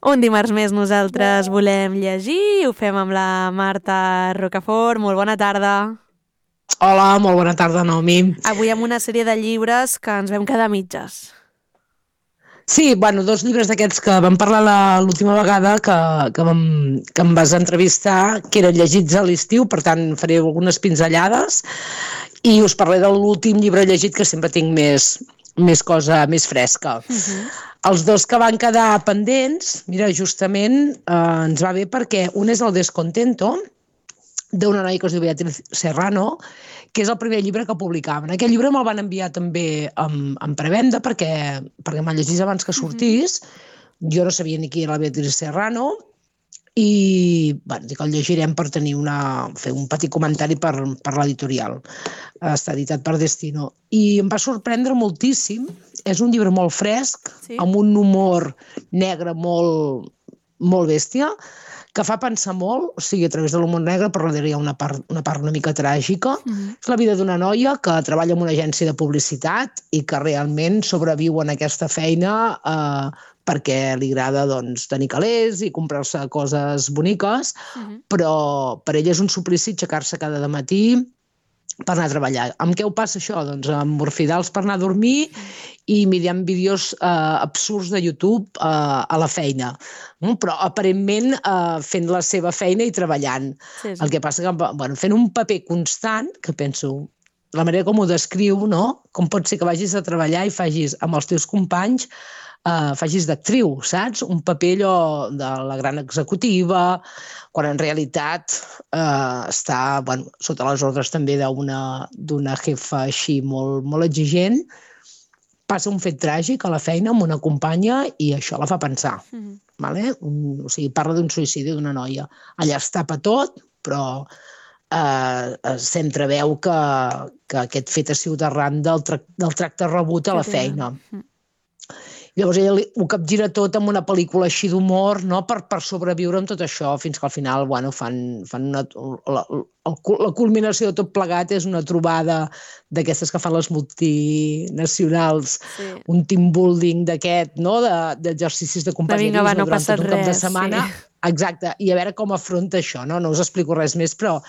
Un dimarts més nosaltres volem llegir, ho fem amb la Marta Rocafort. Molt bona tarda. Hola, molt bona tarda, Naomi. Avui amb una sèrie de llibres que ens vam quedar a mitges. Sí, bueno, 2 llibres d'aquests que vam parlar l'última vegada que em vas entrevistar, que eren llegits a l'estiu, per tant faré algunes pinzellades i us parlaré de l'últim llibre llegit, que sempre tinc més cosa més fresca. Els 2 que van quedar pendents, mira, justament ens va bé perquè un és El descontento, d'una noia que es diu Beatriz Serrano, que és el primer llibre que publicaven. Aquest llibre me'l van enviar també en prevenda perquè me'l llegís abans que sortís. Jo no sabia ni qui era la Beatriz Serrano i bueno, dic, el llegirem per fer un petit comentari per l'editorial. Està editat per Destino. I em va sorprendre moltíssim. És un llibre molt fresc, amb un humor negre molt bèstia, que fa pensar molt, o sigui, a través de l'humor negre, però darrere hi ha una part una mica tràgica. És la vida d'una noia que treballa en una agència de publicitat i que realment sobreviu en aquesta feina perquè li agrada doncs, tenir calés i comprar-se coses boniques, però per ella és un suplici aixecar-se cada matí per anar a treballar. Amb què ho passa això? Doncs amb morfidals per anar a dormir i mirant vídeos absurds de YouTube a la feina, però aparentment fent la seva feina i treballant. Sí. El que passa que fent un paper constant, que penso, la manera com ho descriu, no? Com pot ser que vagis a treballar i facis amb els teus companys facis d'actriu, saps? Un paper allò de la gran executiva, quan en realitat està sota les ordres també d'una jefa així molt exigent. Passa un fet tràgic a la feina amb una companya i això la fa pensar. Vale? O sigui, parla d'un suïcidi d'una noia. Allà es tapa tot, però s'entreveu que aquest fet ha sigut arran del tracte rebut a la feina. Llavors ella ho capgira tot amb una pel·lícula així d'humor, no? Per sobreviure amb tot això, fins que al final fan la culminació de tot plegat és una trobada d'aquestes que fan les multinacionals, un team building d'aquest, no? D'exercicis de companyerisme durant tot un cap de setmana. Exacte, i a veure com afronta això, no? No us explico res més, però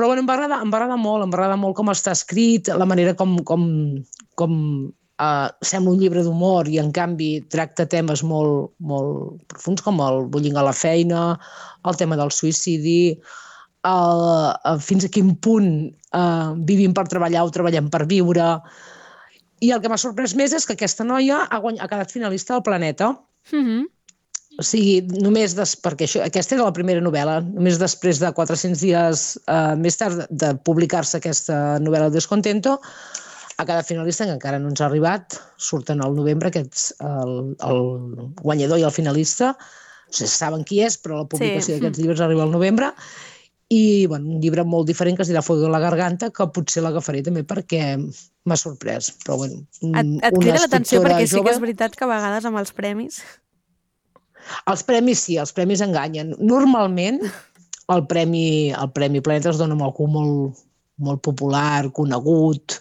bueno, em va agradar molt com està escrit, la manera com sembla un llibre d'humor i en canvi tracta temes molt profuns com el bullying a la feina, el tema del suïcidi, fins a quin punt vivim per treballar o treballem per viure. I el que m'ha sorprès més és que aquesta noia ha quedat finalista del Planeta. O sigui, només perquè aquesta era la primera novel·la, només després de 400 dies més tard de publicar-se aquesta novel·la Descontento, a cada finalista, que encara no ens ha arribat, surten al novembre, el guanyador i el finalista, no sé si saben qui és, però la publicació d'aquests llibres arriba al novembre, i un llibre molt diferent que es dirà Fuego en la garganta, que potser l'agafaré també perquè m'ha sorprès. Però bueno, et crida l'atenció perquè sí que és veritat que a vegades amb els premis... Els premis sí, els premis enganyen. Normalment el Premi Planeta es dona amb algú molt popular, conegut.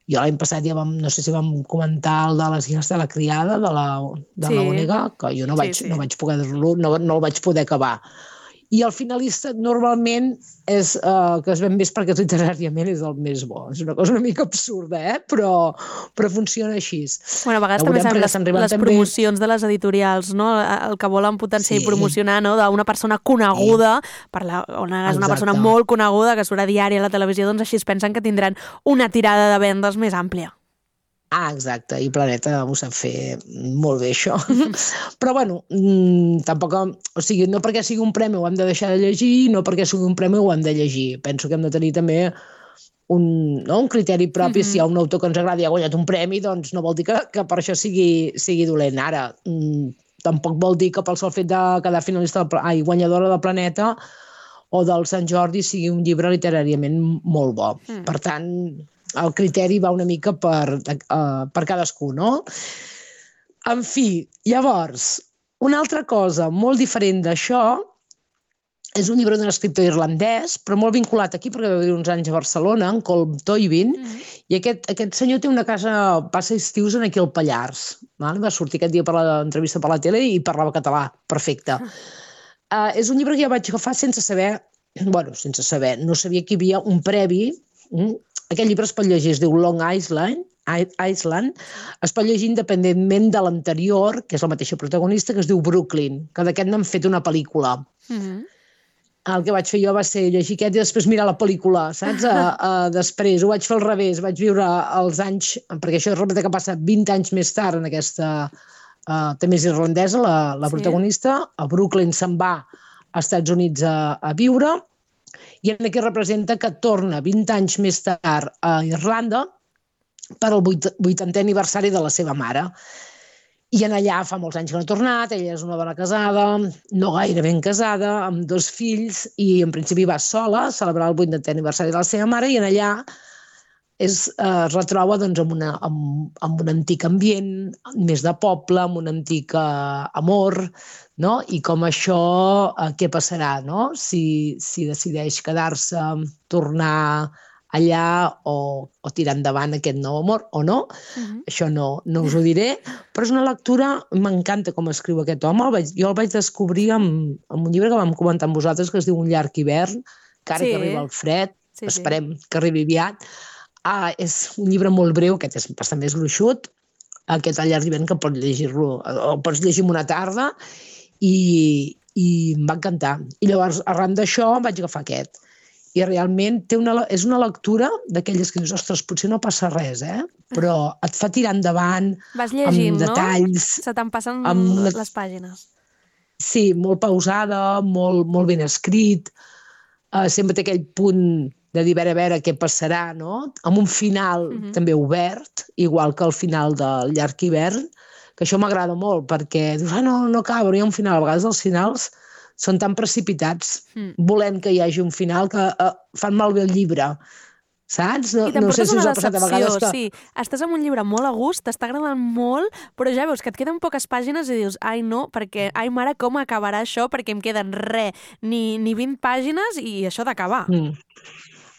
Jo l'any passat ja no sé si vam comentar el de les guies de la criada, de la Ònega, que jo no el vaig poder acabar. I el finalista normalment és que es ven més perquè literàriament és el més bo. És una cosa una mica absurda, però funciona així. Bueno, a vegades també saben les promocions de les editorials, no? El que volen potenciar i promocionar, no? D'una persona coneguda, és una persona molt coneguda que surt a diari a la televisió, doncs així es pensen que tindran una tirada de vendes més àmplia. Exacte, i Planeta ho sap fer molt bé, això. Però, bueno, tampoc... O sigui, no perquè sigui un premi ho hem de deixar de llegir, no perquè sigui un premi ho hem de llegir. Penso que hem de tenir també un criteri propi. Si hi ha un autor que ens agrada i ha guanyat un premi, doncs no vol dir que per això sigui dolent. Ara, tampoc vol dir que pel sol fet de quedar finalista guanyadora del Planeta o del Sant Jordi sigui un llibre literàriament molt bo. Per tant... el criteri va una mica per cadascú, no? En fi, llavors, una altra cosa molt diferent d'això És un llibre d'un escriptor irlandès, però molt vinculat aquí, perquè va viure uns anys a Barcelona, en Colm Toibin, i aquest senyor té una casa, passa estius aquí al Pallars. Va sortir aquest dia per l'entrevista per la tele i parlava català, perfecte. És un llibre que jo vaig agafar sense saber, no sabia que hi havia un previ. Aquest llibre es pot llegir, es diu Long Island, es pot llegir independentment de l'anterior, que és la mateixa protagonista, que es diu Brooklyn, que d'aquest n'han fet una pel·lícula. El que vaig fer jo va ser llegir aquest i després mirar la pel·lícula, saps? Després ho vaig fer al revés, vaig viure els anys, perquè això és que passa 20 anys més tard en aquesta, també és irlandesa, la protagonista, a Brooklyn se'n va als Estats Units a viure, i aquí representa que torna 20 anys més tard a Irlanda per al 80è aniversari de la seva mare. I en allà fa molts anys que no ha tornat, ella és una dona casada, no gaire ben casada, amb 2 fills, i en principi va sola a celebrar el 80è aniversari de la seva mare, i en allà es retroba amb un antic ambient, més de poble, amb un antic amor, no? I com això, què passarà, no? Si decideix quedar-se, tornar allà o tirar endavant aquest nou amor o no, això no us ho diré, però és una lectura, m'encanta com escriu aquest home, jo el vaig descobrir amb un llibre que vam comentar amb vosaltres que es diu Un llarg hivern, que ara que arriba el fred, esperem que arribi aviat. És un llibre molt breu, aquest és bastant més gruixut, aquest El llarg d'hivern que pots llegir-lo, o pots llegir en una tarda, i em va encantar. I llavors, arran d'això, vaig agafar aquest. I realment és una lectura d'aquelles que dius, ostres, potser no passa res, però et fa tirar endavant, vas llegint, amb detalls. No? Se te'n passen les pàgines. Sí, molt pausada, molt ben escrit, sempre té aquell punt de dir a veure què passarà, no? Amb un final també obert, igual que el final del llarg hivern, que això m'agrada molt, perquè dius, no acaba, però hi ha un final. A vegades els finals són tan precipitats, volent que hi hagi un final, que fan malbé el llibre, saps? I t'emportes una decepció, sí. Estàs en un llibre molt a gust, t'està agradant molt, però ja veus que et queden poques pàgines i dius, ai no, perquè, ai mare, com acabarà això? Perquè em queden ni 20 pàgines i això d'acabar.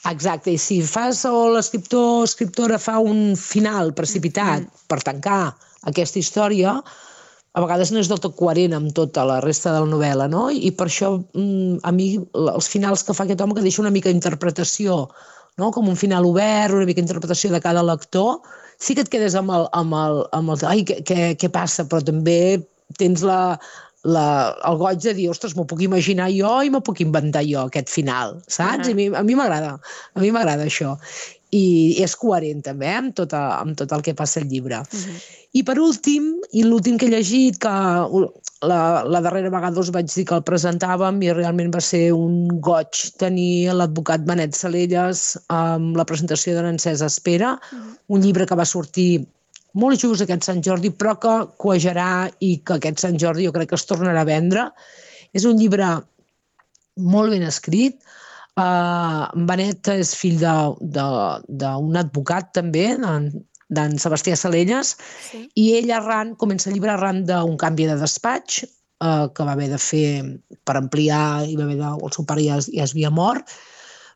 Exacte, i si fas o l'escriptor o escriptora fa un final precipitat per tancar aquesta història, a vegades no és del tot coherent amb tota la resta de la novel·la, no? I per això, a mi, els finals que fa aquest home, que deixa una mica d'interpretació, no? Com un final obert, una mica d'interpretació de cada lector, sí que et quedes amb el ai, què passa? Però també tens el goig de dir, ostres, m'ho puc imaginar jo i m'ho puc inventar jo, aquest final, saps? A mi m'agrada això. I és coherent també amb tot el que passa al llibre. I per últim, i l'últim que he llegit, que la darrera vegada us vaig dir que el presentàvem i realment va ser un goig tenir l'advocat Benet Salelles amb la presentació de l'Encesa Espera, un llibre que va sortir molt just aquest Sant Jordi, però que cuejarà i que aquest Sant Jordi jo crec que es tornarà a vendre. És un llibre molt ben escrit. Benet és fill d'un advocat també, d'en Sebastià Salelles, i ell comença el llibre arran d'un canvi de despatx que va haver de fer per ampliar, i el seu pare ja es havia mort.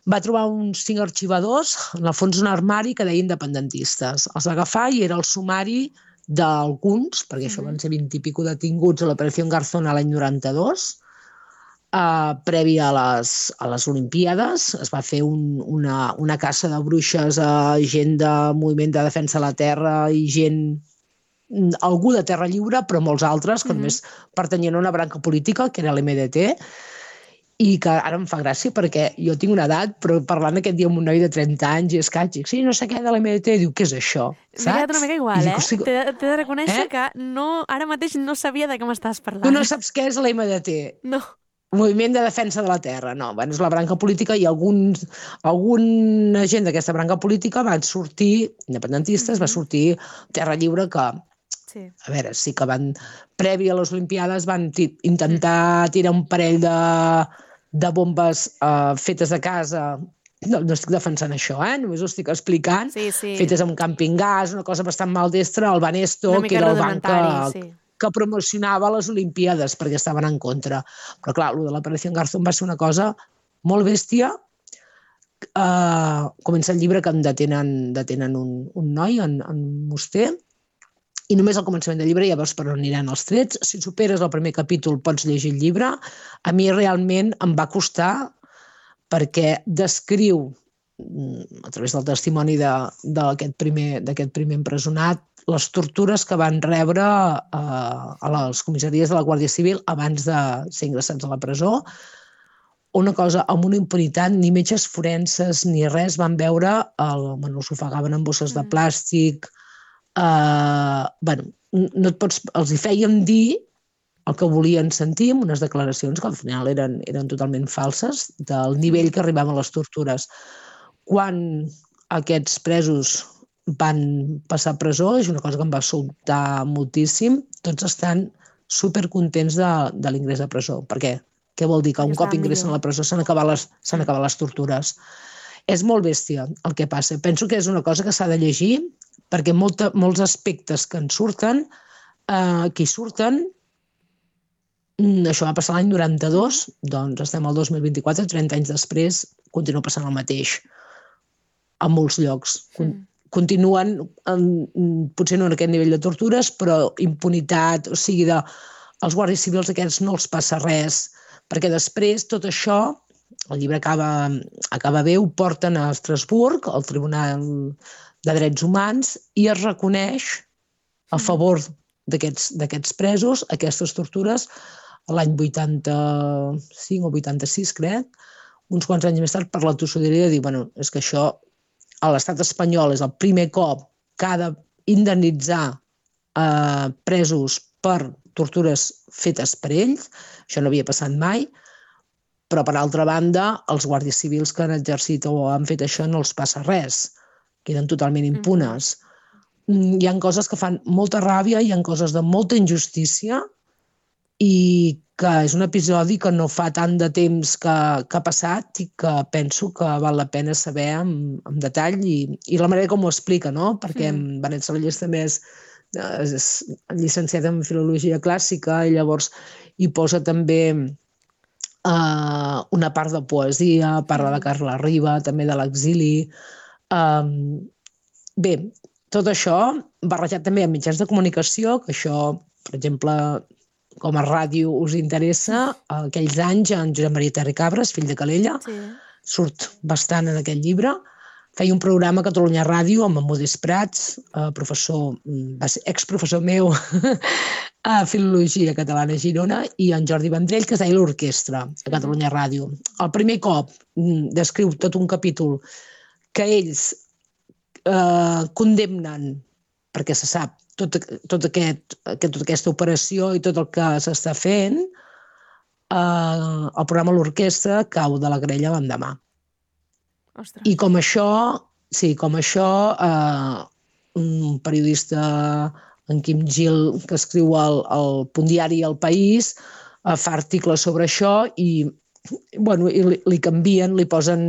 Va trobar uns 5 arxivadors, en el fons un armari que deia independentistes. Els va agafar i era el sumari d'alguns, perquè això van ser 20 i pico detinguts a l'Operació Garzón l'any 92, previ a les Olimpíades. Es va fer una caça de bruixes a gent de Moviment de Defensa de la Terra i algú de Terra Lliure, però molts altres que només pertanyien a una branca política, que era l'MDT, i que ara em fa gràcia perquè jo tinc una edat, però parlant aquest dia amb un noi de 30 anys i escaig, dic, sí, no sé què de l'MDT, diu, què és això? M'he quedat una mica igual, T'he de reconèixer que ara mateix no sabia de què m'estàs parlant. Tu no saps què és l'MDT? No. Moviment de Defensa de la Terra, no, és la branca política i alguna gent d'aquesta branca política van sortir, independentistes, va sortir Terra Lliure, que, a veure, sí que van, previ a les Olimpiades, van intentar tirar un parell de bombes fetes a casa, no estic defensant això, només ho estic explicant, fetes amb camping gas, una cosa bastant maldestra, el Banesto, que era el banc que promocionava les Olimpíades, perquè estaven en contra. Però clar, el de l'Operació Garzón va ser una cosa molt bèstia. Comença el llibre que detenen un noi en un moster, i només al començament del llibre ja veus per on aniran els trets. Si superes el primer capítol pots llegir el llibre. A mi realment em va costar, perquè descriu, a través del testimoni d'aquest primer empresonat, les tortures que van rebre a les comissaries de la Guàrdia Civil abans de ser ingressats a la presó. Una cosa amb una impunitat, ni metges forenses ni res van veure, els ofegaven en bosses de plàstic. No et pots, els hi fèiem dir el que volien sentir, amb unes declaracions que al final eren totalment falses, del nivell que arribaven les tortures. Quan aquests presos van passar a presó, és una cosa que em va sobtar moltíssim, tots estan supercontents de l'ingrés a presó. Per què? Què vol dir? Que un cop ingressen a la presó s'han acabat les tortures. És molt bèstia el que passa. Penso que és una cosa que s'ha de llegir, perquè molts aspectes que en surten, que hi surten, això va passar l'any 92, doncs estem al 2024, 30 anys després, continua passant el mateix a molts llocs. Continuen, potser no en aquest nivell de tortures, però impunitat, o sigui, els guàrdies civils aquests no els passa res, perquè després tot això, el llibre acaba bé, ho porten a Estrasburg, al Tribunal de Drets Humans, i es reconeix a favor d'aquests presos aquestes tortures l'any 85 o 86, crec, uns quants anys més tard, per la tossuderia de dir, bueno, és que això a l'estat espanyol és el primer cop que ha d'indemnitzar presos per tortures fetes per ells, això no havia passat mai, però per altra banda, els guàrdies civils que han exercit o han fet això no els passa res, queden totalment impunes. Hi ha coses que fan molta ràbia, hi ha coses de molta injustícia, i que és un episodi que no fa tant de temps que ha passat i que penso que val la pena saber amb detall i la manera com ho explica, no? Perquè en Benet Salellas també és llicenciat en Filologia Clàssica i llavors hi posa també una part de poesia, parla de Carla Riba, també de l'exili. Bé, tot això barrejat també amb mitjans de comunicació, que això, per exemple, com a ràdio us interessa, aquells anys en Josep Maria Terra i Cabres, fill de Calella, surt bastant en aquest llibre. Feia un programa a Catalunya Ràdio amb en Modest Prats, professor, va ser exprofessor meu a Filologia Catalana a Girona, i en Jordi Vendrell, que es deia l'Orquestra a Catalunya Ràdio. El primer cop descriu tot un capítol que ells condemnen, perquè se sap tota aquesta operació i tot el que s'està fent, el programa L'Orquestra cau de la querella l'endemà. I com això, un periodista, en Quim Gil, que escriu al punt diari El País, fa articles sobre això i li canvien, li posen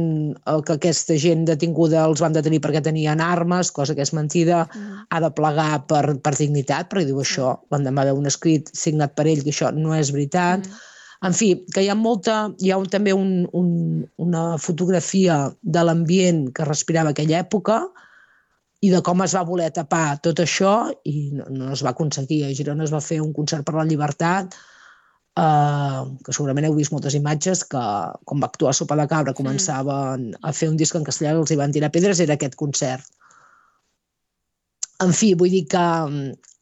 que aquesta gent detinguda els van detenir perquè tenien armes, cosa que és mentida, ha de plegar per dignitat, perquè diu això, l'endemà veu un escrit signat per ell, que això no és veritat. En fi, que hi ha també una fotografia de l'ambient que respirava aquella època i de com es va voler tapar tot això i no es va aconseguir. A Girona es va fer un concert per la llibertat, que segurament heu vist moltes imatges, que quan va actuar Sopa de Cabra començaven a fer un disc en castellà i els hi van tirar pedres, era aquest concert. En fi, vull dir que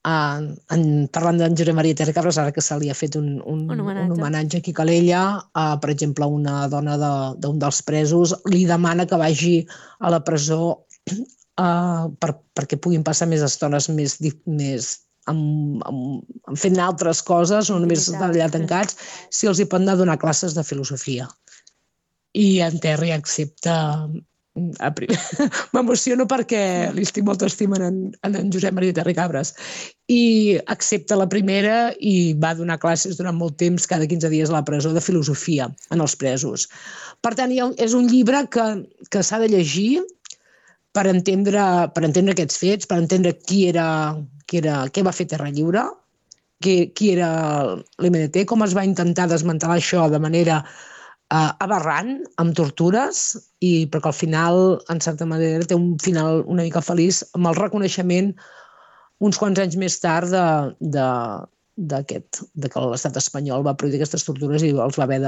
parlant d'en Josep Maria Terra i Cabres, ara que se li ha fet un homenatge aquí a Calella, per exemple, una dona d'un dels presos li demana que vagi a la presó perquè puguin passar més estones fent altres coses, no només estar allà tancats, si els hi pot anar a donar classes de filosofia. I en Terry accepta. M'emociono perquè li estic molt estimant en Josep Maria Terra i Cabres, i accepta la primera i va donar classes durant molt temps, cada 15 dies a la presó, de filosofia en els presos. Per tant, és un llibre que s'ha de llegir per entendre aquests fets, per entendre què va fer Terra Lliure qui era l'MDT, com es va intentar desmantelar això de manera aberrant, amb tortures, i perquè al final, en certa manera, té un final una mica feliç amb el reconeixement uns quants anys més tard de que l'estat espanyol va prohibir aquestes tortures i els va haver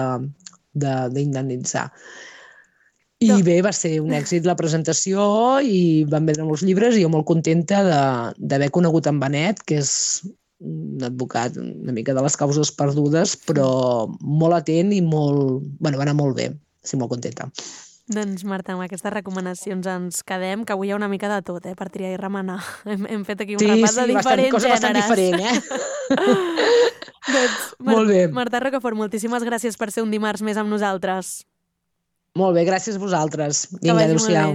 d'indemnitzar. I bé, va ser un èxit la presentació i van vendre molts llibres i jo molt contenta d'haver conegut en Benet, que és un advocat una mica de les causes perdudes, però molt atent i molt... Bueno, va anar molt bé. Estic molt contenta. Doncs, Marta, amb aquestes recomanacions ens quedem, que avui hi ha una mica de tot, per triar i remenar. Hem fet aquí un repàs de diferents gèneres. Sí, bastant diferent, Doncs, molt bé. Marta Rocafort, moltíssimes gràcies per ser un dimarts més amb nosaltres. Molt bé, gràcies a vosaltres. Vinga, adéu-siau.